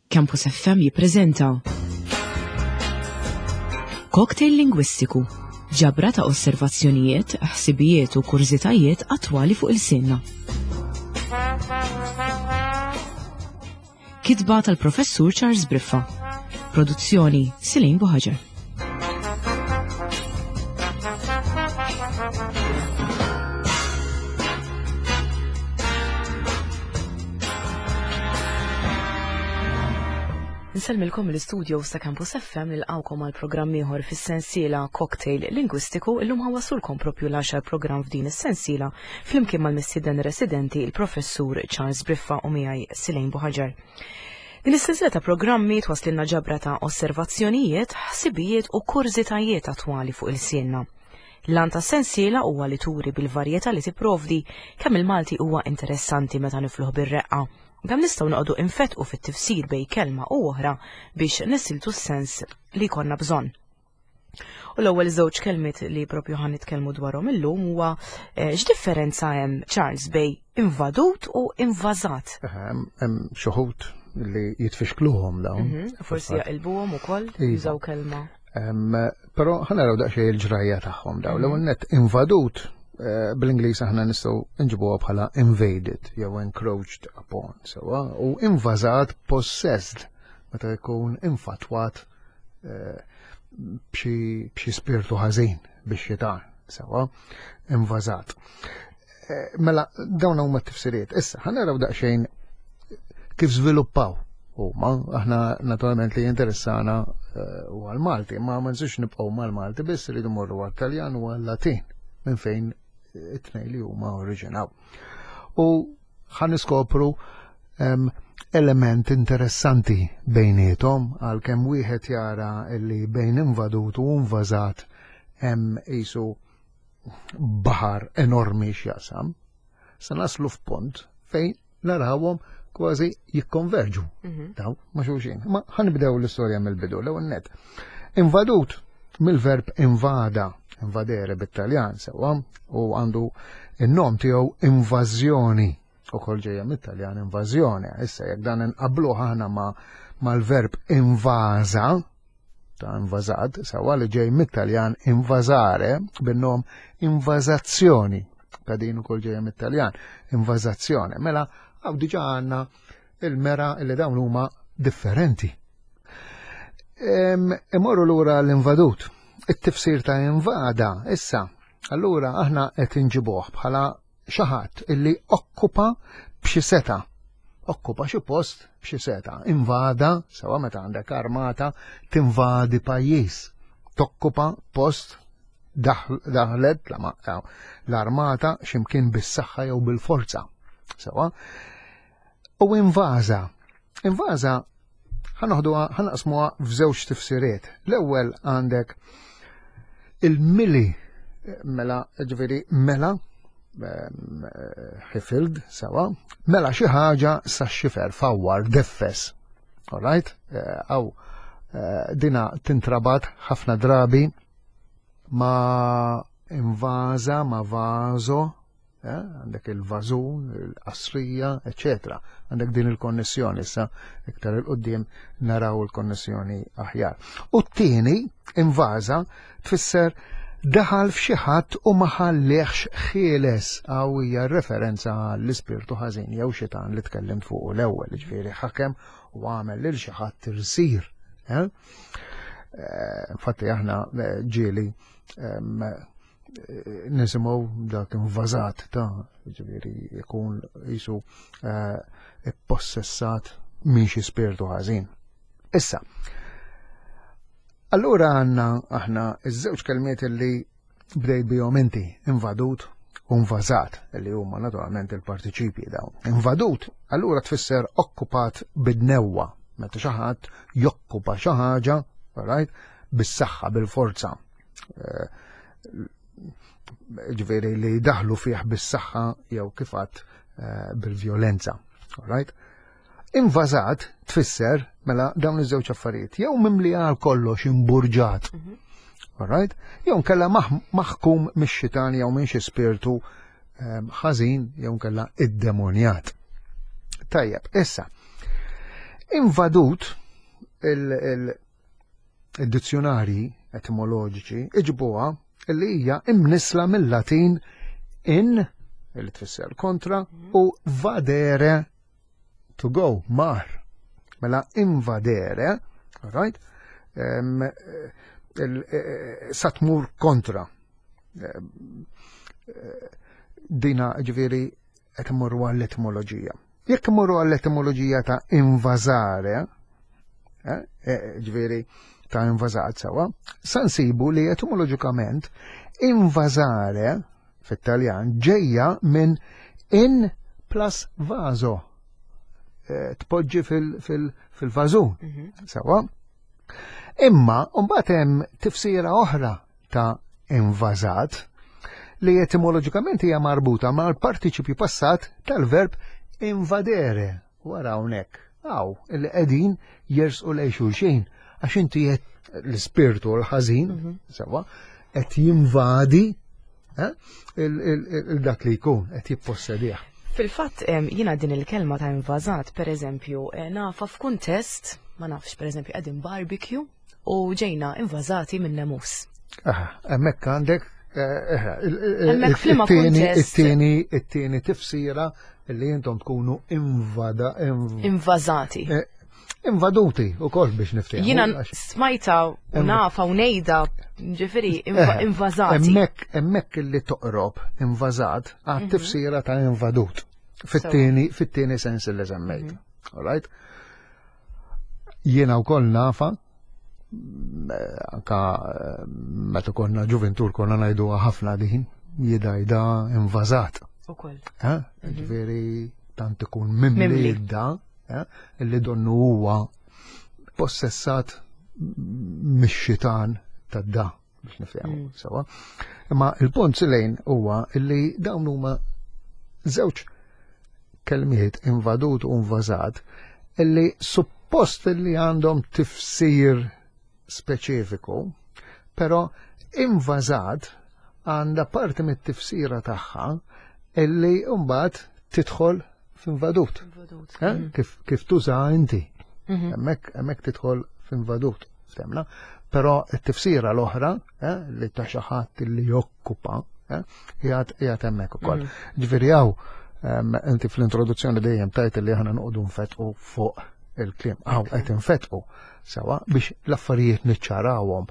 Campus FM jippreżenta Cocktail Lingwistiku, ġabra ta' osservazzjonijiet, ħsibijiet u kurżitajiet attwali fuq il-sinna. Kitba tal-Professur Charles Briffa. Produzzjoni Silin Buħaġar. Nsellmilkom mill-istudios ta' Campus FM nilqgħukom għal programm ieħor fis-sensiela Cocktail Lingwistiku illum ħawassulkom propju l-għaxar programm f'din is-sensiela flimkien mal-mistieden residenti il-Professur Charles Briffa u miegħi Silejn Buħaġar. Din is-sensiela ta' programmi twasslilna ġabra ta' osservazzjonijiet, ħsibijiet u kurżitajiet attwali fuq ilsienna. L-għan tas-sensiela huwa li turi bil-varjetà li tipprovdi kemm il-Malti huwa interessanti meta nifluh bir-reqqa u kemm nistgħu noqogħdu infettqu fit-tifsir bejn kelma u oħra biex nisiltu s-sens li jkollna bżonn. U l-ewwel żewġ kelmiet li propju ħan nitkellmu dwarhom illum huwa eh, x'differenza hemm Charles bej invadut u invażat. Hemm xi wħud li jitfixkluhom dawn. Mhm, forsi jaqilbuhom ukoll iva. jużaw kelma. Però ħa naraw daqsxejn il-ġrajja tagħhom dawn. L-ewwel mhm. net invadut eh, bl-Ingliż aħna nistgħu nġibuha bħala invaded jew encroached upon sewwa u invażat possessed meta jkun infatwat eh, b'xi spirtu ħażin biex xitan, sewa, invażat. Eh, mela, dawn huma t-tifsiriet. Issa, ħanaraw daqsxejn kif żviluppaw huma, aħna naturalment li jinteressana eh, u għal-Malti, ma ma nżux nibqgħu mal-Malti biss rridu morru għal-Taljan u għal-Latin minn fejn it-tnej li huma oriġinaw. U ħa niskopru element interessanti bejniethom għalkemm wieħed jara li bejn invadut u invażat hemm qisu baħar enormi x'jaqsam. Se naslu f'punt fejn narawhom kważi jikkonverġu mhm. daw ma' xulxin. Ma ħanibdew l-istorja mill-bidu l-ewwel net. Invadut mill-verb invada, invadere bit-Taljan sewwa, u għandu in-nom tiegħu invażjoni, ukoll ġejja mit-Taljan invażjoni. Issa jekk dan inqabluh aħna ma mal-verb invaża, ta' invażat, sewwa li ġej mit-Taljan invażare bin-nom invażazzjoni, ta' din ukoll ġejja mit-Taljan, invażazzjoni. Mela, hawn diġà għandna il-mera li dawn huma differenti. Imorru lura l-invadut. It-tifsir ta' invada, issa, allura aħna qed inġibuh bħala xi ħadd illi okkupa b'xi seta. Okkupa xi post b'xi seta. Invada, sewa meta għandek armata, tinvadi pajjiż. Tokkupa post daħlet l-armata x'imkien bis-saħħa jew bil-forza. Sewa. U invaża. Invaża ħanoħduha ħanaqsmuha f'żewġ tifsiriet. L-ewwel għandek il-mili mela ġifieri mela ħifild sewa, mela xi ħaġa sa xifer fawwar deffes. All right? Eh, aw eh, dina tintrabat ħafna drabi ma invaża, ma vażo, Eh, għandek il-vażun, il-qasrija, eccetera. Għandek din il-konnessjoni issa iktar il-qoddim naraw il-konnessjoni aħjar. U t-tieni invaża tfisser daħal f'xi ħadd u ma ħallihx ħieles għaw hija referenza għall-ispirtu ħażin jew xitan li tkellimt fuq l-ewwel, ġifieri ħakem u għamel lil xi ħadd irsir. Eh? Eh, infatti aħna ġieli nisimgħu dak invażat ta' ġifieri jkun jisu eh, ippossessat minn xi spirtu ħażin. Issa, allura għandna aħna iż-żewġ kelmiet li bdejt bihom inti, invadut u invażat, li huma naturalment il-partiċipji dawn. Invadut, allura tfisser okkupat bid-newwa, meta xi ħadd jokkupa xi ħaġa, right, bis-saħħa, bil-forza. Eh, ġveri li daħlu fih bis-saħħa jew kifat eh, bil-vjolenza. Right? Invażat tfisser mela dawn iż-żewġ affarijiet, jew mimli għal kollox imburġat. Mhm. Alright? Jew nkella maħkum mix-xitan jew minn xi spirtu ehm, ħażin jew nkella id-demonjat. Tajjeb, issa. Invadut il-dizzjonarji etimoloġiċi iġibuha li hija imnisla mill-Latin in li tfisser kontra u vadere to go, mar. Mela invadere, right? Eh, sa tmur kontra. Eh, dina ġifieri qed imorru għall-etimoloġija. Jekk imorru għall-etimoloġija ta' invazare, eh, ġifieri ta' invażat sewa, sa nsibu li etimoloġikament invazare fit-Taljan ġejja minn in plus vaso. Eh, tpoġġi fil-vażun. Sewa. Imma mbagħad hemm tifsira oħra ta' invażat li etimoloġikament hija marbuta mal-partiċipju passat tal-verb invadere. Wara hawnhekk. Aw, illi qegħdin jersqu lejn xulxin għax inti qed l-ispirtu l-ħażin, sewa, qed jinvadi eh, il-dak li jkun qed jippossedih. Fil-fatt jiena din il-kelma ta' invażat, per eżempju, eh, nafa f'kuntest, ma nafx, per eżempju, qegħdin barbecue u ġejna invażati minn nemus. Aha, hemmhekk għandek eh, Hemmhekk f'liema kuntest. It-tieni tifsira li intom tkunu invada invażati. Invaduti u kol biex niftehmu. Jiena smajta u nafa u nejda, ġifieri invażati. Hemmhekk hemmhekk li toqrob invażat għat tifsira ta' invadut. Fit-tieni fit-tieni sens li semmejt. All right? Jiena wkoll nafa anka eh, meta konna ġuventur konna ngħidu ħafna din jidajda invażat. Ukoll. Eh? Ġifieri tant ikun mimli da eh, li donnu huwa possessat mix-xitan tad-da biex nifhmu sewa. Imma il-punt lejn huwa li dawn huma żewġ kelmiet invadut u invażat illi suppost li għandhom tifsir speċifiku, però invażat għandha parti mit-tifsira tagħha illi mbagħad tidħol f'invadut. Eh? Kif, kif tuża inti. Hemmhekk hemmhekk tidħol f'invadut, ftemna. Però t-tifsira l-oħra eh, li ta' xi ħadd li jokkupa eh, qiegħed qiegħed hemmhekk ukoll. Ġifieri hawn inti fl-introduzzjoni dejjem tajt li aħna noqogħdu nfetqu fuq il-kliem. Hawn qed infetqu sewa biex l-affarijiet niċċarawhom.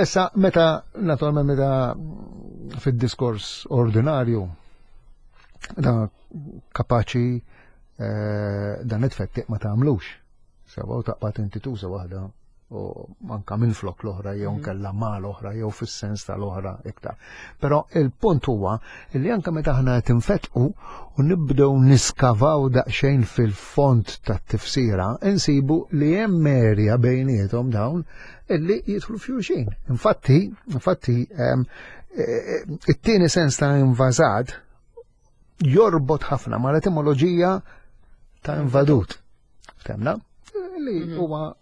Issa meta naturalment meta fid-diskors ordinarju da kapaċi eh, dan it-tfettiq ma tagħmlux. Sewa u taqbad inti tuża waħda u anka minn flok l-oħra jew nkella ma l-oħra jew fis-sens tal-oħra iktar. Però il-punt huwa li anka meta aħna qed infetqu u nibdew niskavaw daqsxejn fil-font tat-tifsira, insibu li hemm erja bejniethom dawn illi jidħlu f'xulxin. Infatti, infatti eh, it-tieni sens ta' invażat jorbot ħafna ma l-etimoloġija ta' invadut. Temna? Li mhm. huwa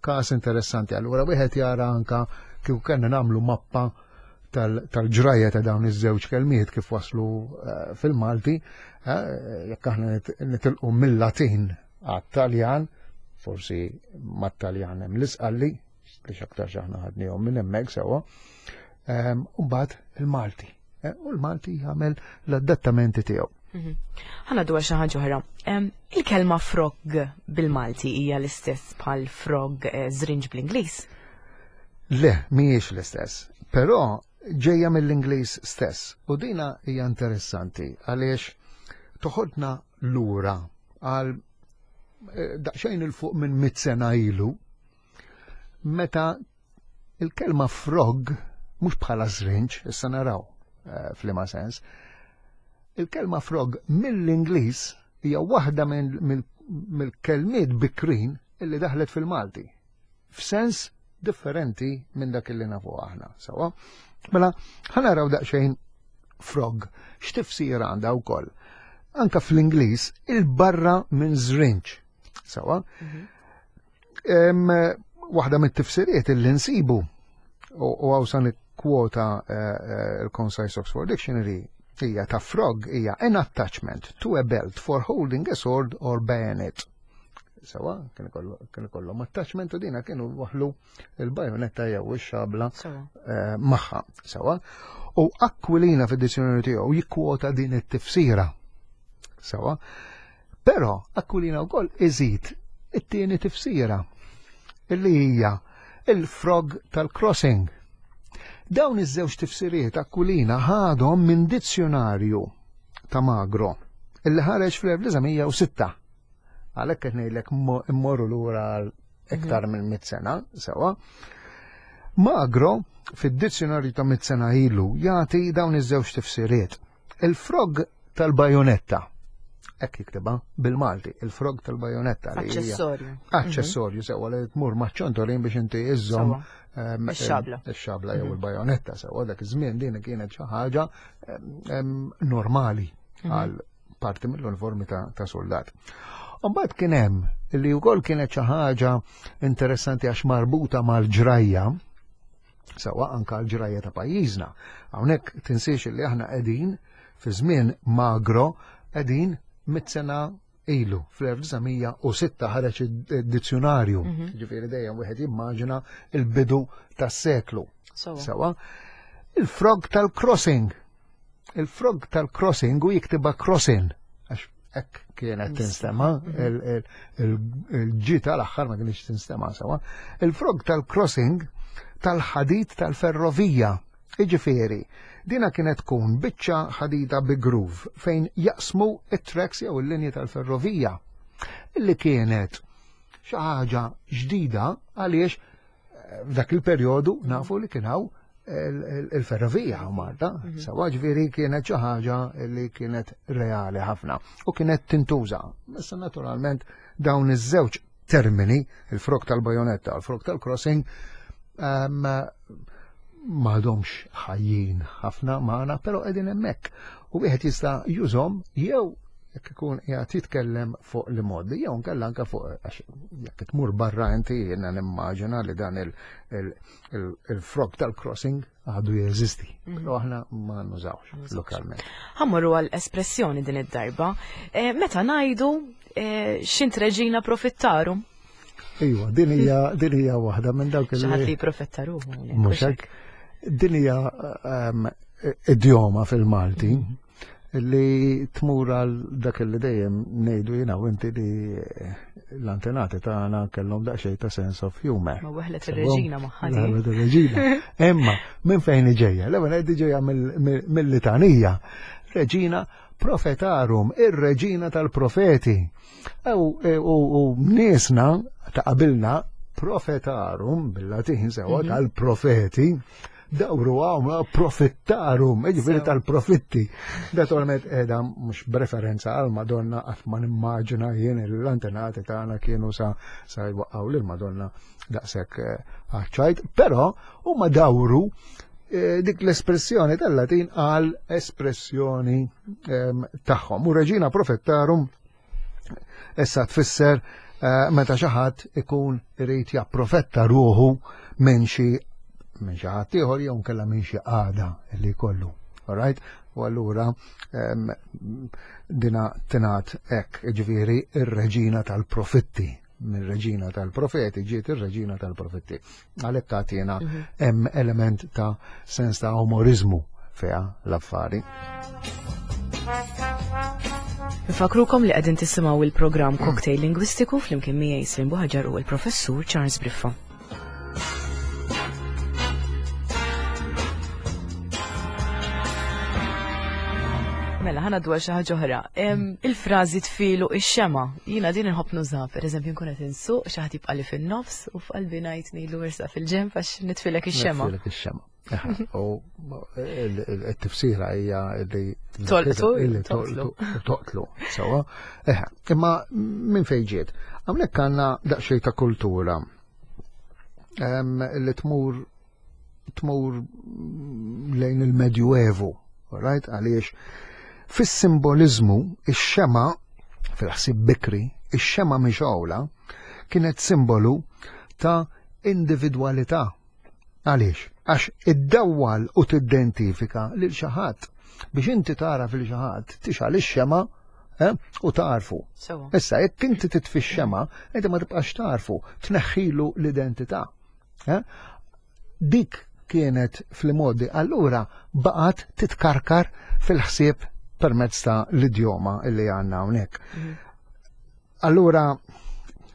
każ interessanti. Allura wieħed jara anka kieku kellna nagħmlu mappa tal-ġrajja ta' dawn iż-żewġ kelmiet kif waslu eh, fil-Malti, eh, jekk aħna nitilqu mill-Latin għat-Taljan, forsi mat-Taljan hemm l-Isqalli, li x'aktar aħna ħadnihom minn hemmhekk sewwa, ehm, u mbagħad il-Malti. Eh, u l-Malti jagħmel l-adattamenti tiegħu. Mhm. Ħana dwar xi ħaġa oħra. Il-kelma frog bil-Malti hija l-istess bħal frog eh, żrinġ bl-Ingliż? Le, mhijiex l-istess. Però ġejja mill-Ingliż stess. U dina hija interessanti għaliex toħodna lura għal eh, daqsxejn il fuq minn mit sena ilu meta il-kelma frog mhux bħala żrinġ, issa naraw eh, f'liema sens, il-kelma frog mill-Ingliż hija waħda mill-kelmiet bikrin illi daħlet fil-Malti. F'sens differenti minn dak illi nafu aħna, sawa? Mela, ħanaraw daqsxejn frog, x'tifsira għandha wkoll. Anka fl-Ingliż il-barra minn żrinġ, sawa? Mhm. Waħda mit-tifsiriet illi nsibu u għaw san kwota eh, eh, il-Concise Oxford Dictionary hija ta' frog hija an attachment to a belt for holding a sword or bayonet. Sewa, kien ikollhom attachment u dina kienu waħlu il-bajonetta jew ix-xabla eh, magħha. Sewa. U Aquilina fid-dizzjonarju tiegħu jikkwota din it-tifsira. Sewa. Però Aquilina wkoll iżid it-tieni tifsira illi hija il-frog tal-crossing. Dawn iż-żewġ tifsiriet Aquilina ħadhom minn dizzjonarju ta' Magro illi ħareġ fl-1906. Għalhekk qed ngħidlek immorru lura għal iktar mhm. minn mit sena, sewa. Magro fid-dizzjonarju ta' mit sena ilu jagħti dawn iż-żewġ tifsiriet. Il-frog tal-bajonetta. Hekk jiktibha bil-Malti, il-frog tal-bajonetta. Aċċessorju. Aċċessorju sewa li tmur maċ-ċontorin biex inti iżżomm ehm, ix-xabla. Ix-xabla jew mhm. il-bajonetta sewa dak iż-żmien din kienet xi ħaġa ehm, ehm, normali mhm. għal parti mill-uniformi ta', ta soldat. Mbagħad kien hemm li wkoll kienet xi ħaġa interessanti għax marbuta mal-ġrajja, sewa anka l-ġrajja ta' pajjiżna. Hawnhekk tinsiex li aħna qegħdin fi żmien magro qegħdin mit-sena ilu fl-1906 ħareġ id-dizzjonarju. Mhm. Ġifieri dejjem wieħed jimmaġina il-bidu tas-seklu. Sewa. Il-frog tal-crossing Il-frog tal-crossing u jiktiba crossin, għax hekk kienet tinstema, mhm. il-ġi tal-aħħar ma kienx tinstema sewa. Il-frog tal-crossing tal-ħadid tal-ferrovija, iġifieri, dina kienet tkun biċċa ħadida bi groove fejn jaqsmu it-tracks jew il-linji tal-ferrovija. Illi kienet xi ħaġa ġdida għaliex eh, f'dak il-perjodu nafu li kien hawn il-ferrovija u Malta, mhm. sawa ġviri kienet xi ħaġa li kienet reali ħafna u kienet tintuża. Issa naturalment dawn iż-żewġ termini, il-frok tal-bajonetta u l-frok tal-crossing, ehm, m'għadhomx ħajjin ħafna magħna, però qegħdin hemmhekk. U wieħed jista' jużhom jew jekk ikun qiegħed jitkellem fuq li modi, jew nkella anke fuq għax jekk tmur barra inti jiena nimmaġina li dan il-frog tal-crossing għadu jeżisti, mhm. però aħna ma nużawx lokalment. Ħammorru għal espressjoni din id-darba, eh, meta ngħidu eh, xint reġina profittaru. Iva, din hija din hija waħda minn dawk il Xi ħadd profettaru. Mhux hekk. Din hija ehm, idjoma fil-Malti mhm. li tmur għal dak li dejjem ngħidu jiena u inti li l-antenati tagħna kellhom daqsxejn ta' sense of humor. Ma weħlet ir-reġina magħha. Weħlet ir-reġina. Imma minn fejn ġejja? L-ewwel qed ġejja mill-litanija. Reġina profetarum, ir-reġina tal-profeti. U niesna ta' qabilna profetarum bil-Latin sewa mhm. tal-profeti dawru għawm profittarum, ġifiri tal-profitti. Naturalment edha mux b'referenza għal Madonna għat ma nimmaġina jien l-antenati tagħna kienu sa sa jwaqqaw lil Madonna daqshekk eh, għaċċajt, però huma dawru eh, dik l-espressjoni tal-Latin għal espressjoni ehm, tagħhom. U reġina profettarum Issa tfisser eh, meta xi ħadd ikun irid japprofetta ruħu minn xi minn xi ħadd ieħor jew nkella minn xi qagħda li jkollu. Alright? U allura ehm, dina tingħad hekk, ġifieri ir-reġina tal-profitti minn reġina tal-profeti ġiet ir-reġina tal-profetti. Għalhekk tagħtina mhm. hemm element ta' sens ta' umorizmu fiha l-affari. Nfakrukom li qegħdin tisimgħu il-programm Cocktail Lingwistiku flimkien miegħi Slim Buħaġar u l-Professur Charles Briffa. Mela, ħana dwar xi ħaġa oħra. Il-frażi tfilu ix-xema. Jiena din inħobb nużha, pereżempju nkun qed insuq xi ħadd jibqa' li fin-nofs u f'qalbi ngħid ngħidlu ersa fil-ġenb għax nitfilek ix-xema. Nitfilek ix-xema. U t-tifsira hija li tolqtu toqtlu. Toqtlu, sewa. Imma minn fejn ġiet? Hawnhekk għandna daqsxejn ta' kultura li tmur tmur lejn il-Medjuevu, right? Għaliex fis-simbolizmu ix-xema fil-ħsieb bikri, ix-xema mixgħula kienet simbolu ta' individwalità. Għaliex? Għax iddawwal u tiddentifika lil xi ħadd. Biex inti tara fil xi ħadd tixgħal ix-xema. eh, u tarfu. Issa, jekk inti titfi x-xema, inti ma tibqax tarfu, tneħħilu l-identità. Eh? Dik kienet fl-modi, allura baqgħet titkarkar fil-ħsieb permezz ta' l-idjoma illi għandna hawnhekk. Mhm. Allura,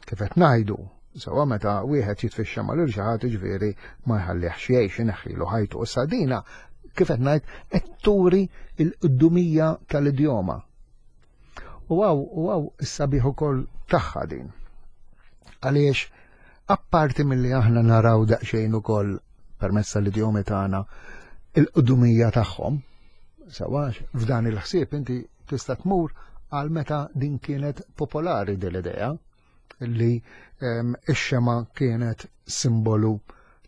kif qed ngħidu, sewa meta wieħed jitfixxa mal xi ħadd jiġifieri ma jħallihx jgħix ineħħilu ħajtu. Issa dina kif qed ngħid qed turi l-qdumija tal-idjoma. U għaw, u għaw is-sabiħ ukoll tagħha din. Għaliex apparti milli aħna naraw daqsxejn ukoll permezz tal-idjomi tagħna il-qdumija tagħhom, sewa f'dan il-ħsieb inti tista' tmur għal meta din kienet popolari din l-idea li ehm, ix-xema kienet simbolu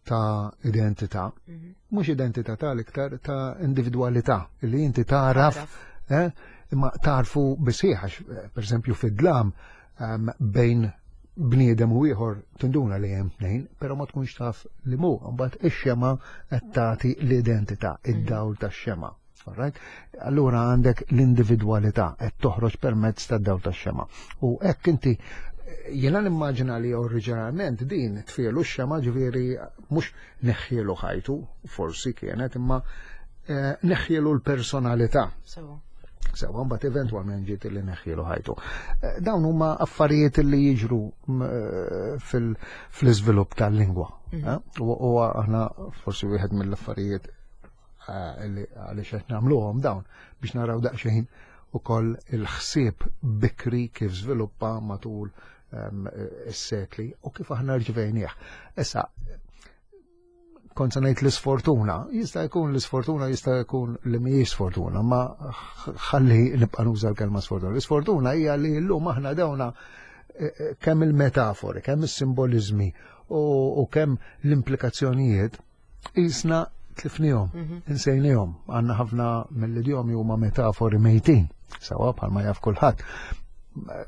ta' identità. Mhm. Mhux identità tal-iktar ta' individwalità li inti taraf eh, imma tarfu bisħiħ għax eh, pereżempju fid-dlam ehm, bejn bniedem u ieħor tinduna li hemm tnejn, però ma tkunx taf li mu, mbagħad ix-xema qed tagħti l-identità, mhm. id-dawl tax-xema. Alright? Allura għandek l-individwalità qed toħroġ permezz tad-dawl tax-xema. U hekk inti jiena nimmaġina li oriġinalment din tfielu x-xema ġifieri mhux neħħielu ħajtu, forsi kienet, imma eh, neħħielu l-personalità. Sewa, mbagħad eventwalment ġiet li neħħielu ħajtu. Eh, dawn huma affarijiet li jiġru eh, fil-iżvilupp tal-lingwa. Mhm. U aħna forsi wieħed mill-affarijiet għaliex qed nagħmluhom dawn biex naraw daqsxejn ukoll il-ħsieb bikri kif żviluppa matul ehm, is-sekli u kif aħna rġvejnieh. Issa, kont se ngħid l-isfortuna, jista' jkun l-isfortuna jista' jkun li mhijiex sfortuna, ma ħalli nibqa' nuża l-kelma sfortuna. L-isfortuna hija li llum aħna dawna eh, eh, kemm il-metafori, kemm is-simbolizmi u kemm l-implikazzjonijiet Isna tlifnihom, mhm. insejnihom, għandna ħafna mill-idjomi huma metafori mejtin, sawa bħalma jaf kulħadd.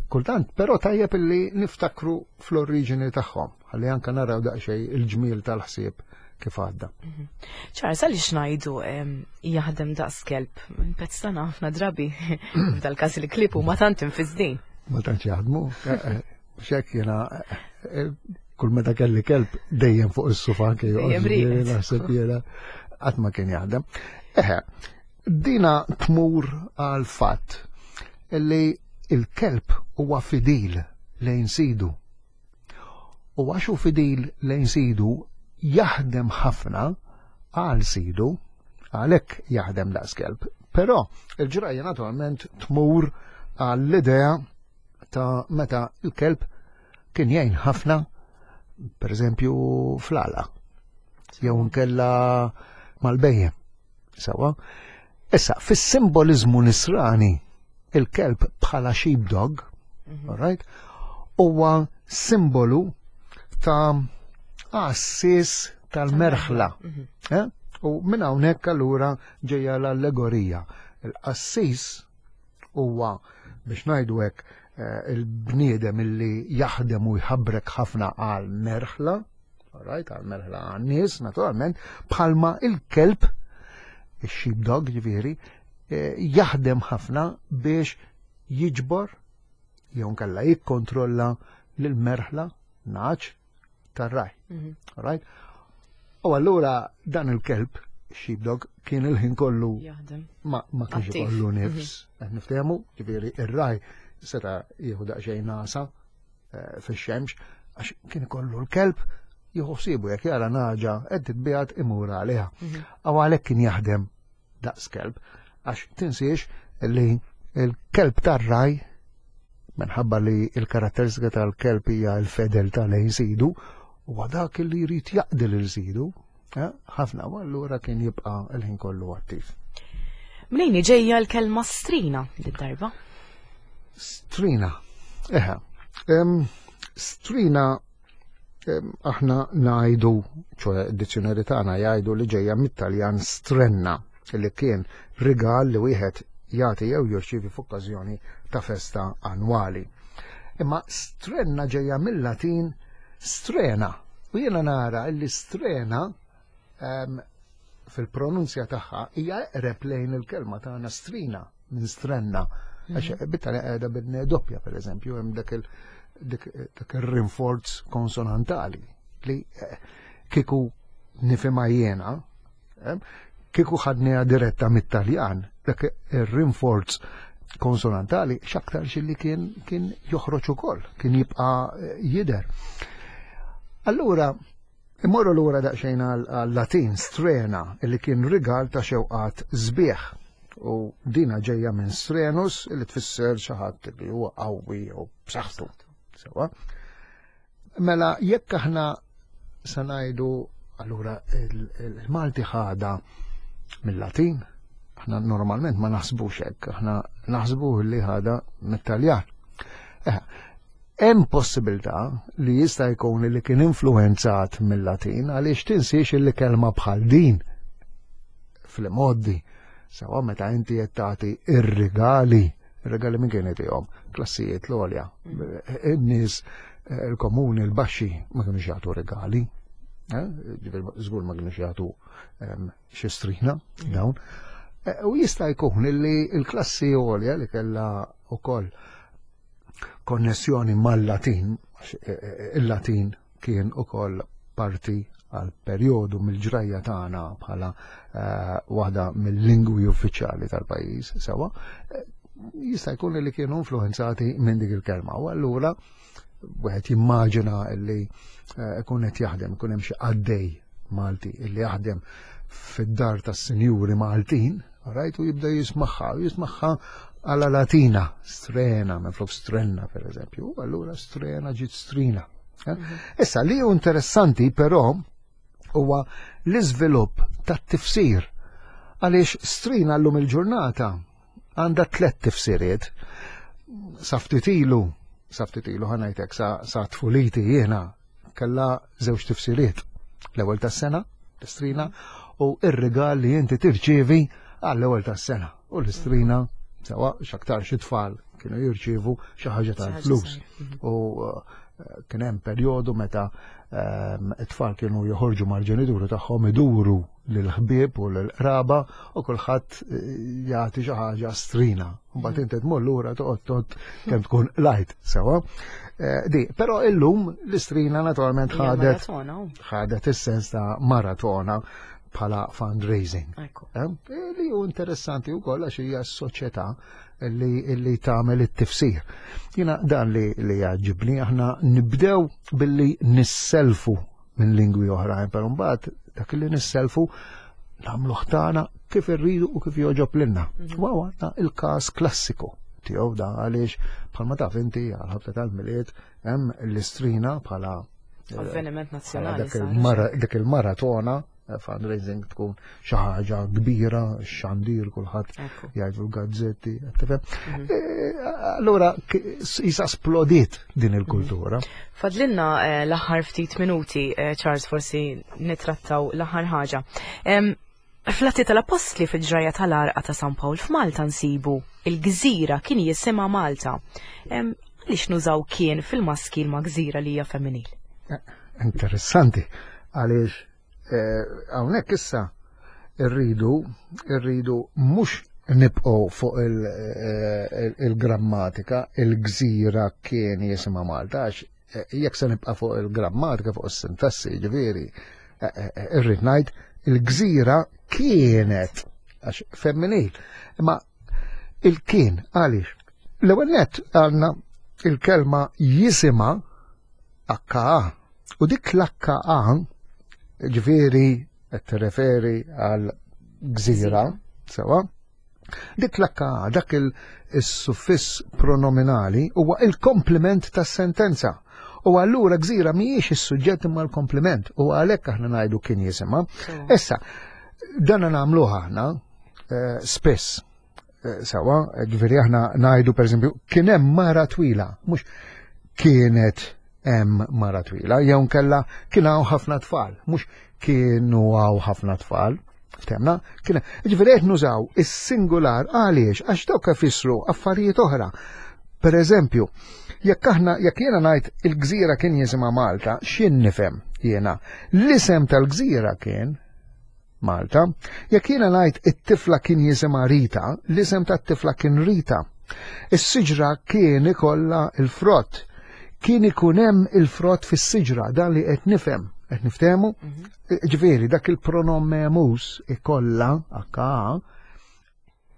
Kultant, però tajjeb illi niftakru fl-oriġini tagħhom, ħalli anka naraw daqsxejn il-ġmiel tal-ħsieb kif għadda. Mhm. Ċar, għaliex ngħidu jaħdem daqs kelb, pezz tagħna ħafna drabi, f'dal-każ il-klieb huma tant infiżdin. Ma tantx jaħdmu, eh, eh, Xek jena, eh, kull meta kelli kelb dejjem fuq is-sufa anke joqgħod naħseb jiena qatt ma kien jaħdem. Eħe, dina tmur għal fatt li il-kelb huwa fidil lejn sidu. U għax hu fidil lejn sidu jaħdem ħafna għal sidu, għalhekk jaħdem daqs kelb. Però il-ġrajja naturalment tmur għall-idea ta' meta l-kelb kien jgħin ħafna, per eżempju, fl-għala, jew nkella mal-bejjem. Sawa? Issa, fis-simbolizmu nisrani, il-kelb bħala sheepdog, mm right, huwa simbolu ta' għassis tal-merħla. Mhm. Eh? U minn hawnhekk allura ġejja l-allegorija. Il-qassis huwa biex ngħidu hekk eh, il-bniedem illi jaħdem u jħabrek ħafna għal merħla, right, għal merħla għal nies naturalment, bħalma il-kelb, il-sheepdog ġifieri, eh, jaħdem ħafna biex jiġbor jew nkella jikkontrolla lil merħla naċ tar-raj. Mhm. Right? U allura dan il-kelb, sheepdog, kien il-ħin kollu ma, ma kienx ikollu nifs. Mhm. Qed niftehmu, ġifieri ir-raj seta' jieħu daqsxejn nasa eh, fix-xemx għax kien ikollu l-kelb jieħu ħsiebu jekk jara naġa qed titbiegħed imur għaliha. Mhm. Aw għalhekk kien jaħdem daqs kelb, għax tinsiex li l-kelb tar-raj minħabba li l-karatteristika tal-kelb hija l-fedeltà lejn sidu, huwa dak li jrid jaqdi lil sidu, eh, ħafna u allura kien jibqa' l-ħin kollu attiv. Mnejn ġejja l-kelma strina lid-darba? Strina, eħe. Strina aħna ngħidu, ċoe d-dizzjonari tagħna jgħidu li ġejja mit-Taljan strenna li kien rigal li wieħed jagħti jew jirċievi f'okkażjoni ta' festa annwali. Imma strenna ġejja mill-Latin strena u jiena nara li strena fil-pronunzja tagħha hija eqreb lejn il-kelma tagħna strina minn strenna. Għax mhm. bit-Taljan qiegħda bin doppja pereżempju hemm dak il dak ir-rinforz konsonantali li eh, kieku nifhimha jiena, eh, kieku ħadniha diretta mit-Taljan, dak ir-rinforz konsonantali x'aktarx li kien kien joħroġ ukoll, kien jibqa' eh, jidher. Allura, immorru lura daqsxejn għal-Latin strena li kien rigal ta' xewqat sbieħ. U dina ġejja minn strenus li tfisser xi ħadd li huwa qawwi jew b'saħħtu. Sewa. Mela jekk aħna se ngħidu allura il-Malti ħada mill-Latin, aħna normalment ma naħsbux hekk, aħna naħsbu li ħada mit-Taljan. Eh, hemm possibilità li jista' jkun li kien influenzat mill-Latin għaliex tinsiex li kelma bħal din fl-imoddi sewa meta inti qed tagħti ir-rigali Ir-regali min kien jtihom? Klassijiet l-għolja. In-nies eh, il-komuni, l-baxxi ma kienux jagħtu regali. Eh, żgur ma kienux jagħtu ehm, xi strina mm. dawn. Eh, u jista' jkun li l-klassi għolja li kellha wkoll konnessjoni mal-Latin, il-Latin kien ukoll parti għal perjodu mill-ġrajja tagħna bħala eh, waħda mill-lingwi uffiċjali tal-pajjiż sewa, eh, jista' jkun li kienu influenzati minn dik il-kelma. U allura wieħed jimmaġina li eh, ikun qed jaħdem, ikun hemm xi qaddej Malti illi jaħdem fid-dar tas-sinjuri Maltin, right, u jibda jismaħħa, u jismaħħa għala Latina, strena, minn flok strenna per eżempju, u allura strena ġiet strina. Eh? Mhm. Issa li hu interessanti però huwa l-iżvilupp tat-tifsir għaliex strina llum il-ġurnata għandha tlet tifsiriet. Sa ftit ilu, sa ftit ilu ħanajtek sa, sa tfuliti jiena kellha żewġ tifsiriet. L-ewwel tas-sena, l-istrina, u ir-rigal li inti tirċievi għall-ewwel tas-sena. U l-istrina, sewa x'aktar xi tfal kienu jirċievu xi ħaġa tal-flus. Mhm. U eh, kien hemm perjodu meta ehm, it-tfal kienu joħorġu mal-ġenituri tagħhom iduru lill-ħbieb u lill-qraba u kulħadd eh, jagħti xi ħaġa strina. Mbagħad inti tmur lura toqgħod tot kemm tkun lajt sewa. Eh, di, però illum l-istrina naturalment ħadet ħadet is-sens ta' maratona bħala fundraising. Eh, li hu interessanti wkoll għax hija s-soċjetà li, li tagħmel it-tifsir. Jiena dan li li jgħaġibni aħna nibdew billi nisselfu minn lingwi oħrajn, però mbagħad dak li nisselfu nagħmluh tagħna kif irridu u kif jogħġob lilna. Mhm. Wa għandna il-każ klassiku tiegħu da għaliex bħalma taf inti għal ħabta tal-milied hemm l-istrina bħala eh, avveniment nazzjonali. Dik il-maratona fundraising tkun xi ħaġa kbira, xandir kulħadd jgħidu l-gazzetti, tifhem. Mhm. E, allura jisa splodiet din il-kultura. Mhm. Fadlinna eh, l-aħħar ftit minuti, eh, Charles, forsi nitrattaw l-aħħar ħaġa. Flatti tal-Apostli fil-ġraja tal-arqa ta' San Pawl f'Malta nsibu il-gżira kien jisimha Malta. Għaliex nużaw kien fil-maskil ma' gżira li hija femminil? Eh, interessanti, għaliex Eh, hawnhekk issa rridu rridu mhux nibqgħu fuq eh, il-grammatika, il-gżira kien jisimha Malta, għax eh, jekk se nibqa' fuq il-grammatika, fuq is-sintassi, ġifieri, irrid ngħid il-gżira kienet għax femminil. Imma il-kien għaliex? L-ewwel nett għandna il-kelma jisima HA. U dik l-HA, ġifieri qed tirreferi għal gżira, sewa, dik l-HA, dak il-suffiss pronominali huwa il-komplement tas-sentenza. U allura gżira mhijiex is-suġġett imma l-komplement u għalhekk aħna ngħidu kien jisimha. Issa, dan nagħmluh aħna eh, spiss Eh, sawa, ġifieri aħna ngħidu pereżempju kien hemm mara twila, mhux kienet hemm mara twila, jew nkella kien hawn ħafna tfal, mhux kienu hawn ħafna tfal. Ftemna? Kien ġifieri qed nużaw is-singular għaliex għax dawk ifissru affarijiet oħra. Per eżempju, jekk aħna jekk jiena ngħid il-gżira kien jisimha Malta, x'jien nifhem jiena? L-isem tal-gżira kien Malta. Jekk jiena ngħid it-tifla kien jisimha Rita, l-isem tat-tifla kien Rita. Is-siġra kien ikollha il-frott. Kien ikun hemm il-frott fis-siġra, dan li qed nifhem, qed niftehmu? Mhm. Ġifieri dak il-pronom memus ikollha aka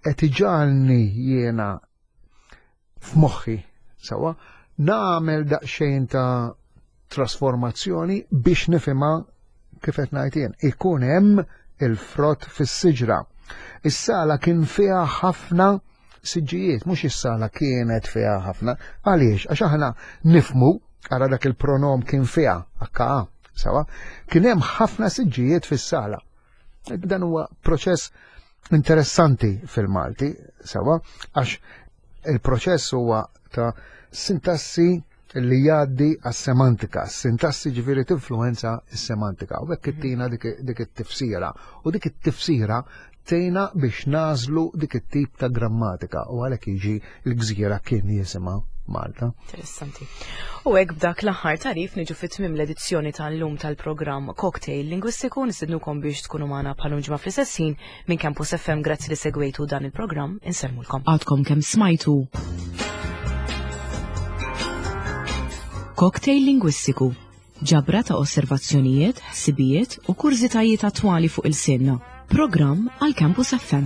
qed iġagħalni jiena f'moħħi sewwa nagħmel daqsxejn ta' trasformazzjoni biex nifhimha kif qed ngħid jien. Ikun hemm il-frott fis-siġra. Is-sala kien fiha ħafna siġġijiet, mhux is-sala kienet fiha ħafna. Għaliex? Għax aħna nifmu, ara dak il-pronom kien fiha, HA, sawa, kien hemm ħafna siġġijiet fis-sala. Dan huwa proċess interessanti fil-Malti, sawa, għax il-proċess huwa ta' sintassi li jgħaddi għas-semantika. Sintassi ġifieri tinfluenza s-semantika. U hekk ittina dik it-tifsira. U dik it-tifsira tejna biex nażlu dik it-tip ta' grammatika u għalhekk jiġi l-gżira kien jisimha Malta. Interessanti. U hekk b'dak l-aħħar tarif niġu fit tmiem l-edizzjoni tal-lum tal-programm Cocktail Lingwistiku nistednukom biex tkunu magħna bħal ġimgħa fl-istess ħin minn Campus FM grazzi li segwejtu dan il-programm insellmulkom. Għadkom kemm smajtu Cocktail Lingwistiku ġabra ta' osservazzjonijiet, ħsibijiet u kurżitajiet attwali fuq il-sinna. Programm għal Campus FM.